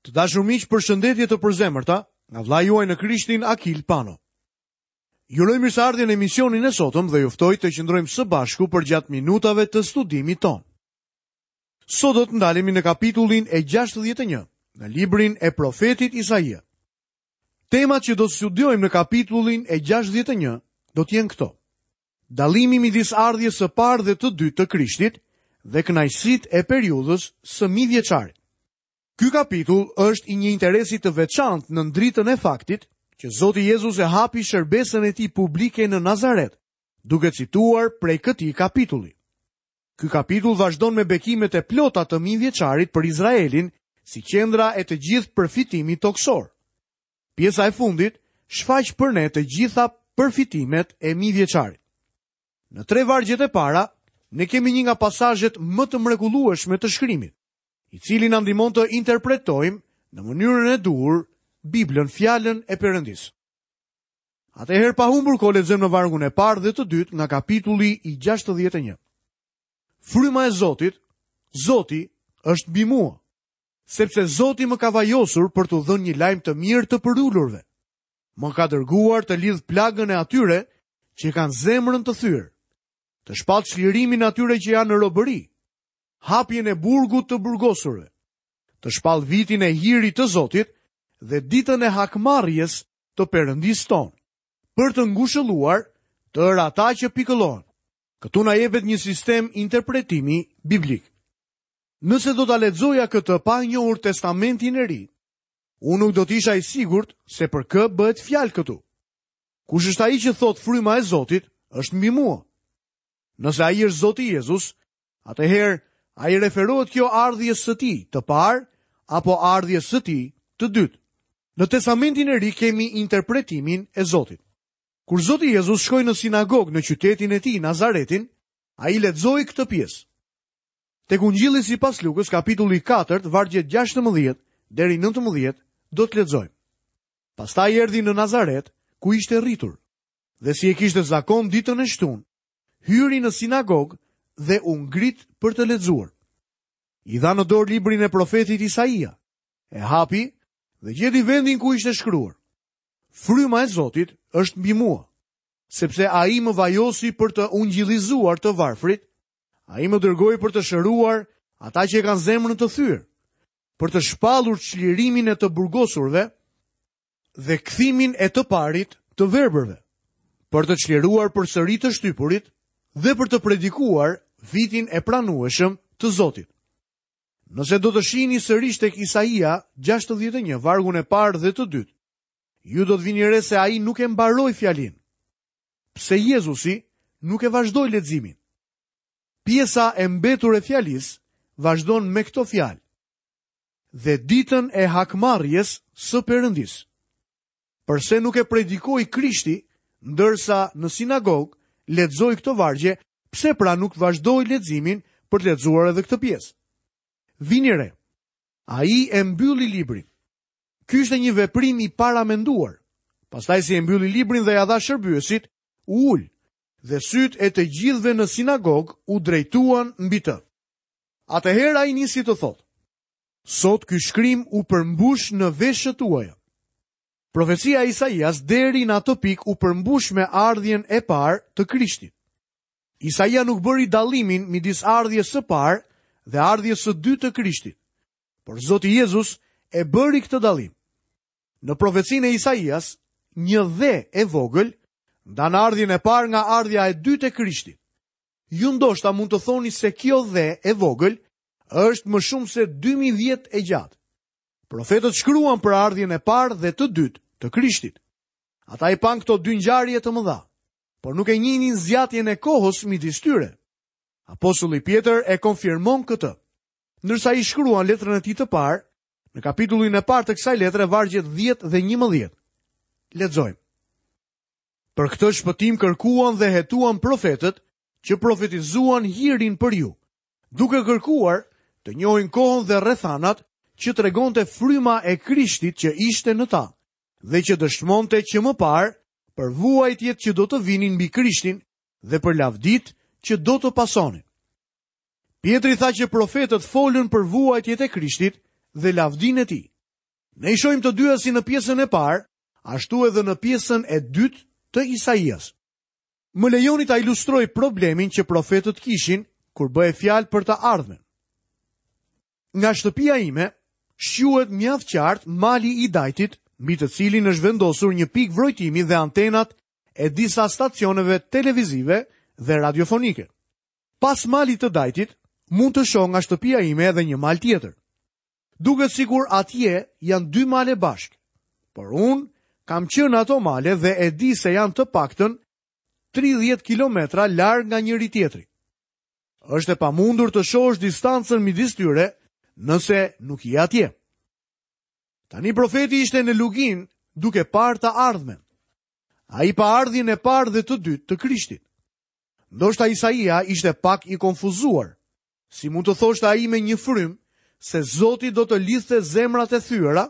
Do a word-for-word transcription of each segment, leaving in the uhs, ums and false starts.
Të dashur miq, përshëndetje të përzemërta nga vëllai juaj në Krishtin Akil Pano. Ju uroj mirëseardhjen në emisionin e sotëm dhe ju ftoj të qëndrojmë së bashku përgjatë minutave të studimit tonë. Sot do të ndalemi në kapitullin e gjashtëdhjetë e një, në librin e profetit Isaia. Temat që do të studiojmë në kapitullin e gjashtëdhjetë e një do të jenë këto: Dallimi midis ardhjes së parë dhe të dytë të Krishtit dhe kënaqësitë e periudhës së mijëvjeçarit. Ky kapitull është i një interesi të veçantë në dritën e faktit që Zoti Jezus e hapi shërbesën e tij publike në Nazaret, duke cituar prej këtij kapitulli. Ky kapitull vazhdon me bekimet e plota të mijëvjeçarit për Izraelin si qendra e të gjithë përfitimit toksor. Pjesa e fundit shfaq për ne të gjitha përfitimet e mijëvjeçarit. Në tre vargjet e para, ne kemi një nga pasazhet më të mrekullueshme të shkrimit, i cili na ndihmon të interpretojmë në mënyrën e duhur Biblën, fjalën e Perëndisë. Atëherë pa humbur kohë lexojmë në vargun e parë dhe të dytë nga kapitulli i gjashtëdhjetë e një. Fryma e Zotit, Zoti është mbi mua, sepse Zoti më ka vajosur për t'u dhënë një lajm të mirë të përulurve. Më ka dërguar të lidh plagën e atyre që kanë zemrën të thyer, të shpall çlirimin atyre që janë në robëri, hapjen e burgut të burgosurve, të shpall vitin e hirit të Zotit dhe ditën e hakmarrjes të Perëndisë tonë, për të ngushëlluar tërë ata që pikëllohen. Këtu na jepet një sistem interpretimi biblik. Nëse do ta lexoja këtë pa njohur Testamentin e Ri, unë nuk do të isha i sigurt se për kë bëhet fjalë këtu. Kush është ai që thot fryma e Zotit është mbi mua? Nëse ai është Zoti Jezus, atëherë ai referohet kjo ardhjes së tij të parë apo ardhjes së tij të dytë. Në Testamentin e Ri kemi interpretimin e Zotit. Kur Zoti Jezus shkoi në sinagogë në qytetin e tij, Nazaretin, ai lexoi këtë pjesë. Tek Ungjilli sipas Lukës, kapitulli katërt, vargjet gjashtëmbëdhjetë deri nëntëmbëdhjetë, do të lexojmë. Pastaj erdhi në Nazaret, ku ishte rritur, dhe si e kishte zakon ditën e shtunë, hyri në sinagogë dhe u ngrit për të lexuar. I dha në dorë librin e profetit Isaia, e hapi dhe gjeti vendin ku ishte shkruar: Fryma e Zotit është mbi mua, sepse ai më vajosi për të ungjillizuar të varfrit, ai më dërgoi për të shëruar ata që e kanë zemrën të thyer, për të shpallur çlirimin e të burgosurve dhe kthimin e të parit të verbërve, për të çliruar përsëri të shtypurit dhe për të predikuar vitin e pranueshëm të Zotit. Nëse do të shihni sërish tek Isaia gjashtëdhjetë e një, vargun e parë dhe të dytë, ju do të vini re se ai nuk e mbaroi fjalin. Pse Jezusi nuk e vazhdoi leximin? Pjesa e mbetur e fjalisë vazhdon me këto fjalë: Dhe ditën e hakmarrjes së Perëndisë. Përse nuk e predikoi Krishti, ndërsa në sinagogë lexoi këto vargje, pse pra nuk vazhdoi leximin për të lexuar edhe këtë pjesë? Vini re, ai e mbylli librin. Ky ishte një veprim i paramenduar. Pastaj si e mbylli librin dhe ja dha shërbyesit, u ul, dhe sytë e të gjithëve në sinagogë u drejtuan mbi të. Atëherë ai nisi të thotë: Sot ky shkrim u përmbush në veshët tuaja. Profecia e Isaias deri në atë pikë u përmbush me ardhjen e parë të Krishtit. Isaia nuk bëri dallimin midis ardhjes së parë dhe ardhjes së dytë të Krishtit, por Zoti Jezus e bëri këtë dallim. Në profecinë e Isaias, një dhe e vogël ndan ardhjen e parë nga ardhja e dytë e Krishtit. Ju ndoshta mund të thoni se kjo dhe e vogël është më shumë se dy mijë vjet e gjatë. Profetët shkruan për ardhjen e parë dhe të dytë të Krishtit. Ata i panë këto dy ngjarje të mëdha, por nuk e njihnin zgjatjen e kohës midis tyre. Apostulli Pjetër e konfirmon këtë. Ndërsa i shkruan letrën e tij të parë, në kapitullin e parë të kësaj letre, vargjet dhjetë dhe njëmbëdhjetë. Lexojmë. Për këtë shpëtim kërkuan dhe hetuan profetët që profetizuan hirin për ju, duke kërkuar të njohin kohën dhe rrethanat që tregonte fryma e Krishtit që ishte në ta dhe që dëshmonte që më parë për vuajtjet që do të vinin mbi Krishtin dhe për lavdit që do të pasonin. Pjetri tha që profetët folën për vuajtjet e Krishtit dhe lavdinë e tij. Ne i shohim të dyja si në pjesën e parë, ashtu edhe në pjesën e dytë të Isaias. Më lejoni ta ilustroj problemin që profetët kishin kur bëhej fjalë për të ardhmen. Nga shtëpia ime shquhet mjaft qartë mali i Dajtit, mbi të cilin është vendosur një pikë vrojtimi dhe antenat e disa stacioneve televizive dhe radiofonike. Pas malit të Dajtit, mund të shoh nga shtëpia ime edhe një mal tjetër. Duket sikur atje janë dy male bashkë, por unë kam qenë në ato male dhe e di se janë të paktën tridhjetë kilometra larg nga njëri tjetri. Është e pamundur të shohësh distancën midis tyre nëse nuk je atje. Tani profeti ishte në luginë duke parë të ardhmen. Ai pa ardhjen e parë dhe të dytë të Krishtit. Ndoshta Isaia ishte pak i konfuzuar. Si mund të thoshte ai me një frymë se Zoti do të lidhte zemrat e thyera,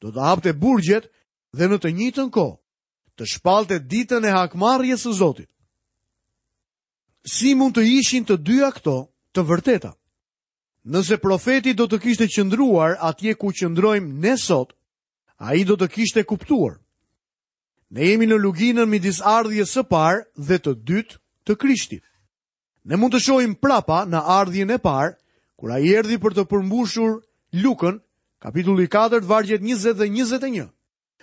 do të hapte burgjet dhe në të njëjtën kohë të shpallte ditën e hakmarrjes së Zotit. Si mund të ishin të dyja këto të vërteta? Nëse profeti do të kishte qëndruar atje ku qëndrojmë ne sot, ai do të kishte kuptuar. Ne jemi në luginën midis ardhjes së parë dhe të dytë të Krishtit. Ne mund të shohim prapa në ardhjen e parë, kur ai erdhi për të përmbushur Lukën, kapitulli katër, vargjet njëzet dhe njëzet e një,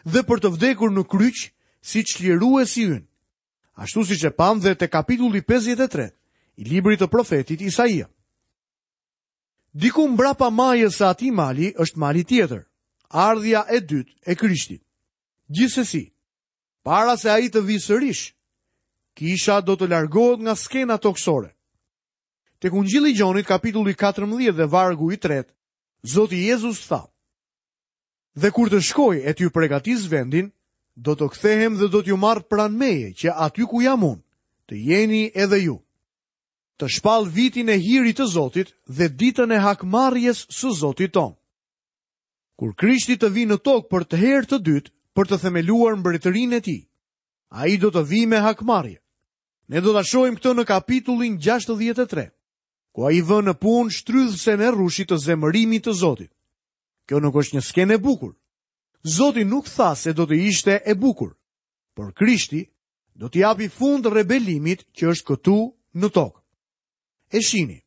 dhe për të vdekur në kryq si çliruesi ynë, ashtu siç e pam dhe te kapitulli pesëdhjetë e tre i librit të profetit Isaia. Diku mbrapa majës së atij mali është mali tjetër, ardhja e dytë e Krishtit. Gjithsesi, para se ai të vijë sërish, kisha do të largohet nga skena tokësore. Tek Ungjilli i Gjonit, kapitulli katërmbëdhjetë dhe vargu i tretë, Zoti Jezus tha: Dhe kur të shkoj e t'ju përgatis vendin, do të kthehem dhe do t'ju marr pranë meje, që aty ku jam unë, të jeni edhe ju. Të shpall vitin e hirit të Zotit dhe ditën e hakmarrjes së Zotit ton. Kur Krishti të vijë në tokë për të herë të dytë, për të themeluar mbretërinë e tij, ai do të vijë me hakmarrje. Ne do ta shohim këtë në kapitullin gjashtëdhjetë e tre, ku ai vë në punë shtrydhësen e rrushit të zemërimit të Zotit. Kjo nuk është një skenë e bukur. Zoti nuk tha se do të ishte e bukur, por Krishti do t'i japi fund rebelimit që është këtu në tokë. E shihni,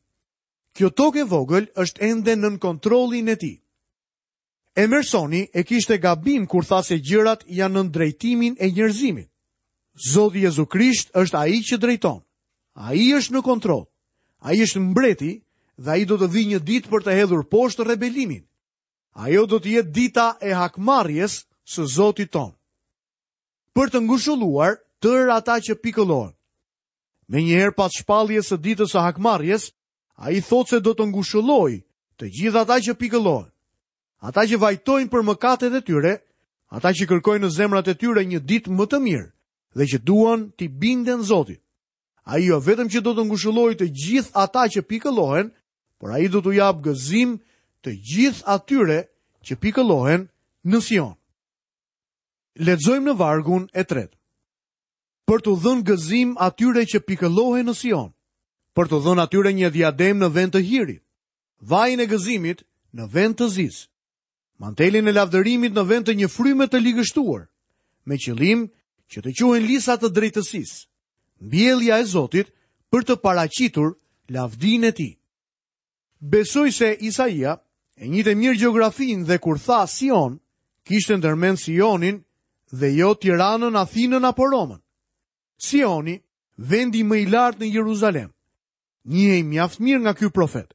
kjo tokë e vogël është ende nën kontrollin e tij. Emersoni e kishte gabim kur tha se gjërat janë nën drejtimin e njerëzimit. Zoti Jezu Krisht është ai që drejton. Ai është në kontroll. Ai është mbreti dhe ai do të vijë një ditë për të hedhur poshtë rebelimin. Ajo do të jetë dita e hakmarrjes së Zotit ton. Për të ngushëlluar tërë ata që pikëllohen. Menjëherë pas shpalljes së ditës së hakmarrjes, ai thotë se do të ngushëllojë të gjithë ata që pikëllohen. Ata që vajtojnë për mëkatet e tyre, ata që kërkojnë në zemrat e tyre një ditë më të mirë dhe që duan t'i binden Zotit. Ai jo vetëm që do të ngushëllojë të gjithë ata që pikëllohen, por ai do t'u japë gëzim të gjithë atyre që pikëllohen në Sion. Lexojmë në vargun e tretë. Për t'u dhënë gëzim atyre që pikëllohen në Sion, për t'u dhënë atyre një diadem në vend të hirit, vajin e gëzimit në vend të zisë, mantelin e lavdërimit në vend të një fryme të ligështuar, me qëllim që të quhen lisa të drejtësisë, mbjellja e Zotit për të paraqitur lavdinë e tij. Besoj se Isaia e njihte mirë gjeografinë dhe kur tha Sion, kishte ndërmend Sionin dhe jo Tiranën, Athinën apo Romën. Sioni, vendi më i lartë në Jeruzalem, njihej mjaft mirë nga ky profet.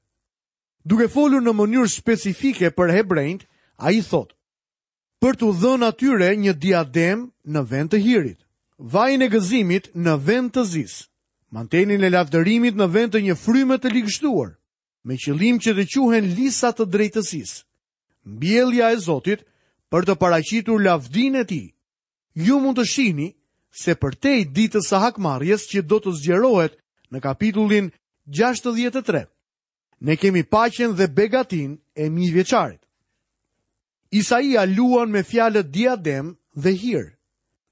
Duke folur në mënyrë specifike për hebrejt, ai thotë: Për t'u dhënë atyre një diadem në vend të hirit, vajin e gëzimit në vend të zisë, mantelin e lavdërimit në vend të një fryme të ligështuar, me qëllim që të quhen lisa të drejtësisë, mbjellja e Zotit për të paraqitur lavdinë e tij. Ju mund të shihni se përtej ditës së hakmarrjes që do të zgjerohet në kapitullin gjashtëdhjetë e tre, ne kemi paqen dhe begatinë e mijëvjeçarit. Isaia luan me fjalët diadem dhe hir.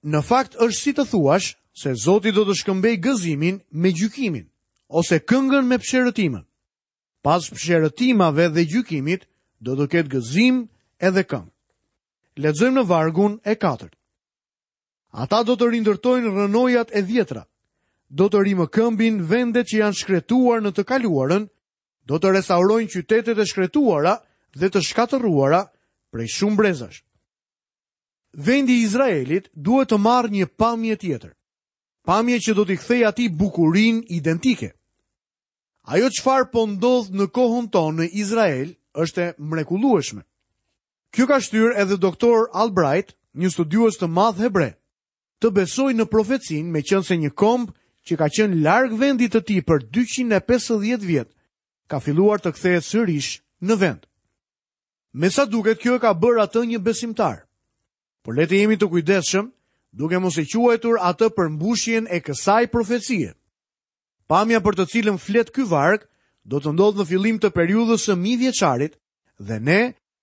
Në fakt është si të thuash se Zoti do të shkëmbej gëzimin me gjykimin, ose këngën me psherëtimën. Pas psherëtimave dhe gjykimit do të ketë gëzim edhe këngë. Lexojmë në vargun e katërt. Ata do të rindërtojnë rrënojat e vjetra, do të rimëkëmbin vendet që janë shkretuar në të kaluarën, do të restaurojnë qytetet e shkretuara dhe të shkatërruara prej shumë brezash. Vendi i Izraelit duhet të marrë një pamje tjetër. Pamje që do t'i kthejë atij bukurinë identike. Ajo çfarë po ndodh në kohën tonë në Izrael është e mrekullueshme. Kjo ka shtyrë edhe doktor Albright, një studiues të madh hebre, të besojë në profecinë, meqense një komb që ka qenë larg vendit të tij për dyqind e pesëdhjetë vjet, ka filluar të kthehet sërish në vend. Me sa duket kjo e ka bërë atë një besimtar. Por le të jemi të kujdesshëm, duke mos e quajtur atë përmbushjen e kësaj profecie. Pamja për të cilën flet ky varg do të ndodhë në fillim të periudhës së mijëvjeçarit dhe ne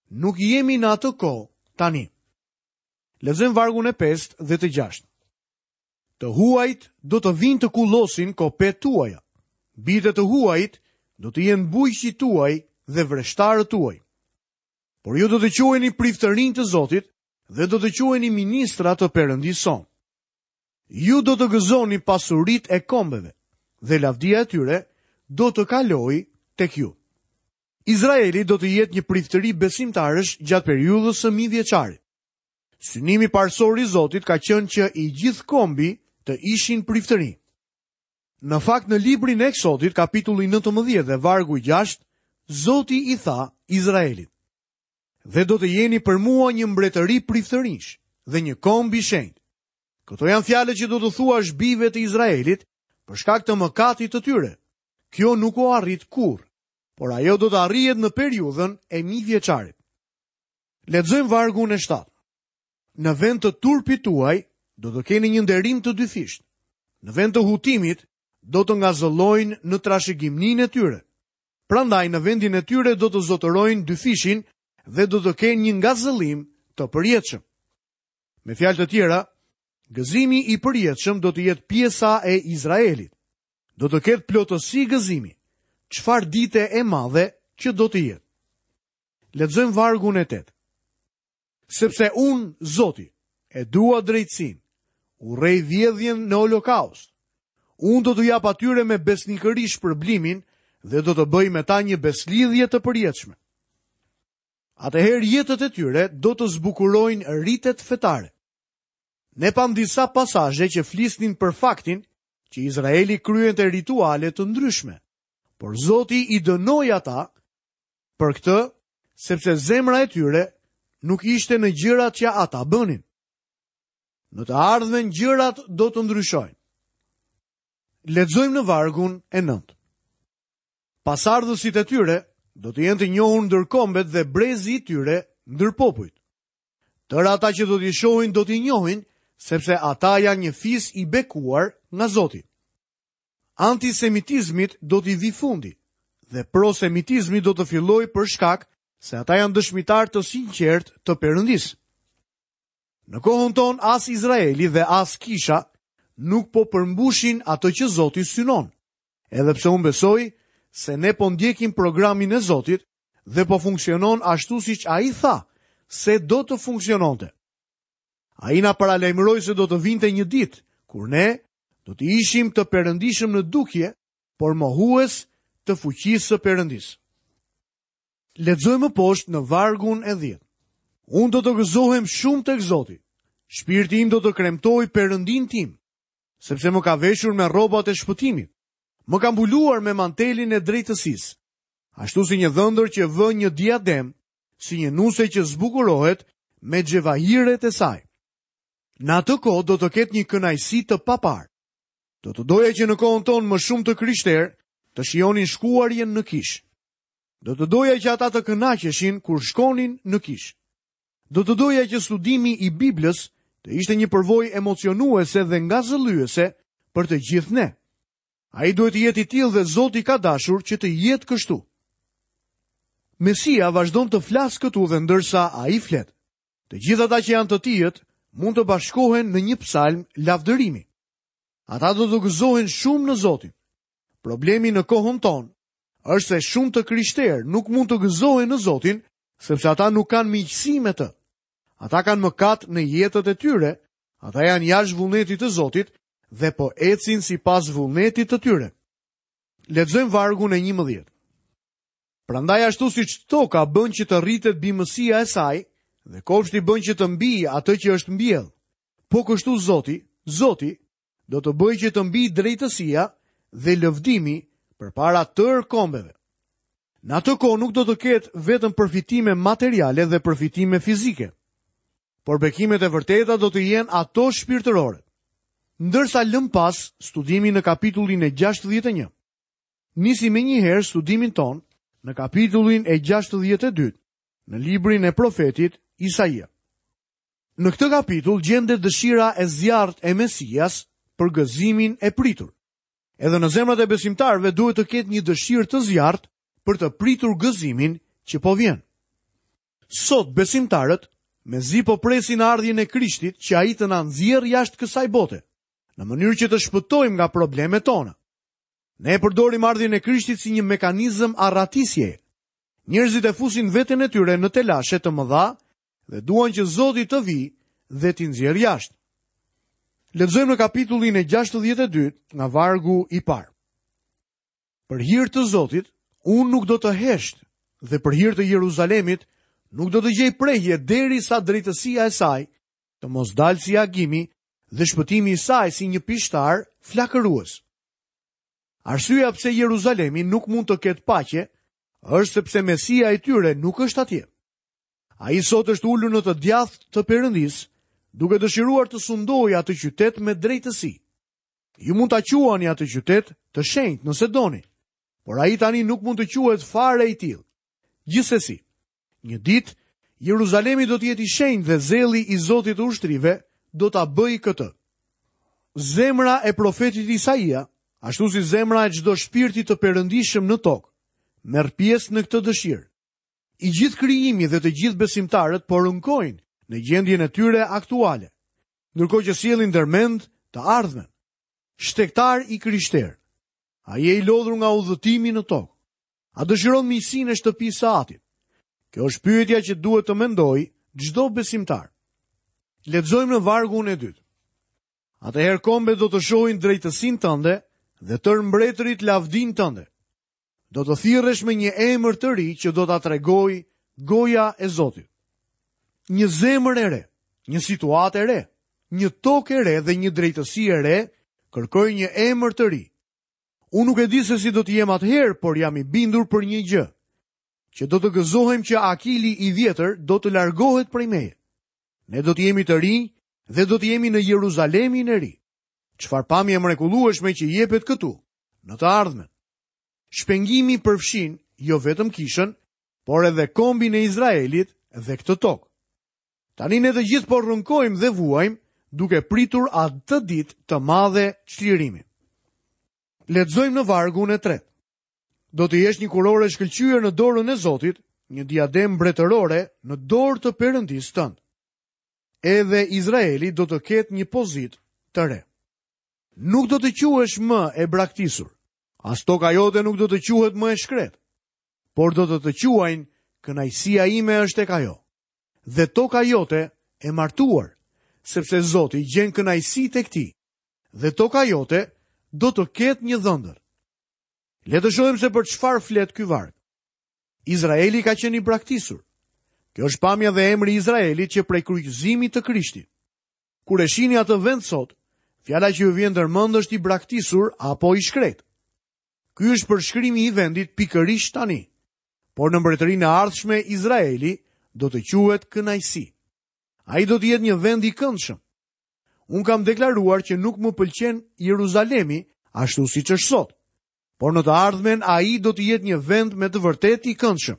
nuk jemi në atë kohë tani. Lexojmë vargun e pestë dhe të gjashtë. Të huajt do të vinë të kullosin kopet tuaja. Bitë të huajt do të jenë bujqit tuaj dhe vreshtarët tuaj. Por ju do të quheni priftërinj të Zotit dhe do të quheni ministra të Perëndisë sonë. Ju do të gëzoni pasuritë e kombeve dhe lavdia e tyre do të kalojë tek ju. Izraeli do të jetë një priftëri besimtarësh gjatë periudhës së mijëvjeçarit. Synimi parësor i Zotit ka qenë që i gjithë kombi të ishin priftëri. Në fakt në librin e Eksodit, kapitulli nëntëmbëdhjetë dhe vargu gjashtë, Zoti i tha Izraelit: Dhe do të jeni për mua një mbretëri priftërinjsh dhe një komb i shenjtë. Këto janë fjalët që do të thuash bijve të Izraelit për shkak të mëkatit të tyre. Kjo nuk u arrit kurrë, por ajo do të arrihet në periudhën e mijëvjeçarit. Lexojmë vargun e shtatë. Në vend të turpit tuaj do të keni një nderim të dyfishtë. Në vend të hutimit do të ngazëllojnë në trashëgimninë e tyre. Prandaj në vendin e tyre do të zotërojnë dyfishin dhe do të kenë një ngazëllim të përjetshëm. Me fjalë të tjera, gëzimi i përjetshëm do të jetë pjesa e Izraelit. Do të ketë plotësi gëzimi. Çfarë dite e madhe që do të jetë. Lexojmë vargun e tetë. Sepse unë, Zoti, e dua drejtësinë, urrej vjedhjen në holokaust. Unë do t'u jap atyre me besnikëri shpërblimin dhe do të bëj me ta një beslidhje të përjetshme. Atëherë jetët e tyre do të zbukurojnë ritet fetare. Ne pam disa pasazhe që flisnin për faktin që Izraeli kryente rituale të ndryshme, por Zoti i dënoi ata për këtë, sepse zemra e tyre nuk ishte në gjërat që ata bënin. Në të ardhmen gjërat do të ndryshojnë. Lexojmë në vargun e nëntë. Pasardhësit e tyre do të jenë të njohur ndër kombet dhe brezi i tyre ndër popujt. Tërë ata që do t'i shohin do t'i njohin, sepse ata janë një fis i bekuar nga Zoti. Antisemitizmit do t'i vi fundi dhe prosemitizmi do të fillojë për shkak se ata janë dëshmitar të sinqert të Perëndisë. Në kohën tonë as Izraeli dhe as kisha nuk po përmbushin atë që Zoti synon. Edhe pse unë besoj se ne po ndjekim programin e Zotit dhe po funksionon ashtu siç ai tha se do të funksiononte. Ai na paralajmëroi se do të vinte një ditë kur ne do të ishim të perëndishëm në dukje, por mohues të fuqisë së Perëndisë. Lexojmë më poshtë në vargun e dhjetë. Unë do të gëzohem shumë tek Zoti. Shpirti im do të kremtojë Perëndin tim, sepse më ka veshur me rrobat e shpëtimit. Më ka mbuluar me mantelin e drejtësisë, ashtu si një dhëndër që vë një diadem, si një nuse që zbukurohet me xhevahiret e saj. Në atë kohë do të ketë një kënaqësi të paparë. Do të doja që në kohën tonë më shumë të krishterë të shijonin shkuarjen në kishë. Do të doja që ata të kënaqeshin kur shkonin në kishë. Do të doja që studimi i Biblës të ishte një përvojë emocionuese dhe ngazëllyese për të gjithë ne. Ai duhet të jetë i tillë dhe Zoti ka dashur që të jetë kështu. Mesia vazhdon të flasë këtu dhe ndërsa ai flet, të gjithë ata që janë të tijët mund të bashkohen në një psalm lavdërimi. Ata do të gëzohen shumë në Zotin. Problemi në kohën tonë është se shumë të krishterë nuk mund të gëzohen në Zotin, sepse ata nuk kanë miqësi me të. Ata kanë mëkat në jetët e tyre, ata janë jashtë vullnetit të Zotit dhe po ecin sipas vullnetit të tyre. Lexojmë vargun e njëmbëdhjetë. Prandaj ashtu siç toka bën që të rritet bimësia e saj dhe kopshti bën që të mbijë atë që është mbjell, po kështu Zoti, Zoti do të bëjë që të mbijë drejtësia dhe lëvdimi përpara tërë kombeve. Në atë kohë nuk do të ketë vetëm përfitime materiale dhe përfitime fizike, por bekimet e vërteta do të jenë ato shpirtërore. Ndërsa lëm pas studimin në kapitullin e gjashtëdhjetë e një, nisi menjëherë studimin ton në kapitullin e gjashtëdhjetë e dy, në librin e profetit Isaia. Në këtë kapitull gjendet dëshira e zjarrt e Mesias për gëzimin e pritur. Edhe në zemrat e besimtarëve duhet të ketë një dëshirë të zjarrt për të pritur gëzimin që po vjen. Sot besimtarët mezi po presin ardhjen e Krishtit që ai të na nxjerrë jashtë kësaj bote, në mënyrë që të shpëtojmë nga problemet tona. Ne e përdorim ardhjen e Krishtit si një mekanizëm arratisjeje. Njerëzit e fusin veten e tyre në telashe të mëdha dhe duan që Zoti të vijë dhe t'i nxjerrë jashtë. Lexojmë në kapitullin e gjashtëdhjetë e dy nga vargu i parë. Për hir të Zotit, unë nuk do të hesht dhe për hir të Jeruzalemit nuk do të gjej prehje derisa drejtësia e saj të mos dalë si agimi dhe shpëtimi i saj si një pishtar flakërues. Arsyeja pse Jeruzalemi nuk mund të ketë paqe është sepse Mesia i tyre nuk është atje. Ai sot është ulur në të djathtë të Perëndisë, duke dëshiruar të sundojë atë qytet me drejtësi. Ju mund ta quani atë qytet të shenjtë nëse doni, por ai tani nuk mund të quhet fare i tillë. Gjithsesi, një ditë Jeruzalemi do të jetë i shenjtë dhe zelli i Zotit të ushtrive do ta bëjë këtë. Zemra e profetit Isaia, ashtu si zemra e çdo shpirti të perëndishëm në tokë, merr pjesë në këtë dëshirë. I gjithë krijimi dhe të gjithë besimtarët po rënkojnë në gjendjen e tyre aktuale, ndërkohë që sjellin ndërmend të ardhmen. Shtegtar i krishter, a je i lodhur nga udhëtimi në tokë? A dëshiron miqësinë e shtëpisë së Atit? Kjo është pyetja që duhet të mendojë çdo besimtar. Lexojmë në vargun e dytë. Atëherë kombet do të shohin drejtësinë tënde dhe tërë mbretërit lavdinë tënde. Do të thirresh me një emër të ri që do ta tregojë goja e Zotit. Një zemër e re, një situatë e re, një tokë e re dhe një drejtësi e re kërkojnë një emër të ri. Unë nuk e di se si do të jem atëherë, por jam i bindur për një gjë, që do të gëzohem që Akili i vjetër do të largohet prej meje. Ne do të jemi të rinj dhe do të jemi në Jeruzalemin e ri. Çfarë pamje e mrekullueshme që jepet këtu, në të ardhmen. Shpengimi përfshin jo vetëm kishën, por edhe kombin e Izraelit dhe këtë tokë. Tani ne të gjithë po rënkojmë dhe vuajmë duke pritur atë ditë të madhe çlirimi. Lexojmë në vargun e tretë. Do të jesh një kurorë e shkëlqyer në dorën e Zotit, një diadem mbretërore në dorë të Perëndisë tënd. Edhe Izraeli do të ketë një pozitë të re. Nuk do të quhesh më e braktisur, as toka jote nuk do të quhet më e shkret, por do të të quajnë kënaqësia ime është tek ajo. Dhe toka jote e martuar, sepse Zoti gjen kënaqësi tek ti, dhe toka jote do të ketë një dhëndër. Le të shohim se për çfarë flet ky varg. Izraeli ka qenë i braktisur. Kjo është pamja dhe emri i Izraelit që prej kryqëzimit të Krishtit. Kur e shihni atë vend sot, fjala që ju vjen ndërmend është i braktisur apo i shkret. Ky është përshkrimi i vendit pikërisht tani. Por në mbretërinë e ardhshme Izraeli do të quhet kënaqësi. Ai do të jetë një vend i këndshëm. Unë kam deklaruar që nuk më pëlqen Jeruzalemi ashtu siç është sot, por në të ardhmen ai do të jetë një vend me të vërtetë i këndshëm.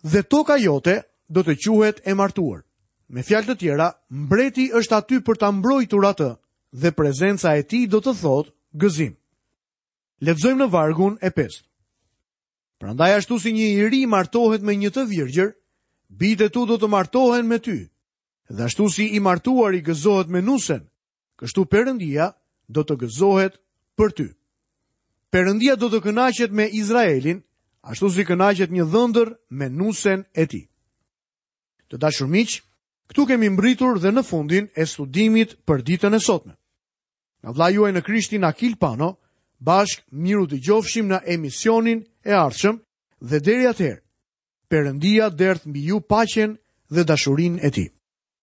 Dhe toka jote do të quhet e martuar. Me fjalë të tjera, mbreti është aty për ta mbrojtur atë dhe prezenca e tij do të thotë gëzim. Lexojmë në vargun e pestë. Prandaj ashtu si një i ri martohet me një të virgjër, bijtë e tu do të martohen me ty. Dhe ashtu si i martuari gëzohet me nusen, kështu Perëndia do të gëzohet për ty. Perëndia do të kënaqet me Izraelin, ashtu si kënaqet një dhëndër me nusen e tij. Të dashur miq, këtu kemi mbërritur dhe në fundin e studimit për ditën e sotme. Nga vëllai juaj në Krishtin Akil Pano, bashkë mirudëgjofshim në emisionin e ardhshëm dhe deri atëherë, Perëndia derdhtë mbi ju paqen dhe dashurinë e tij.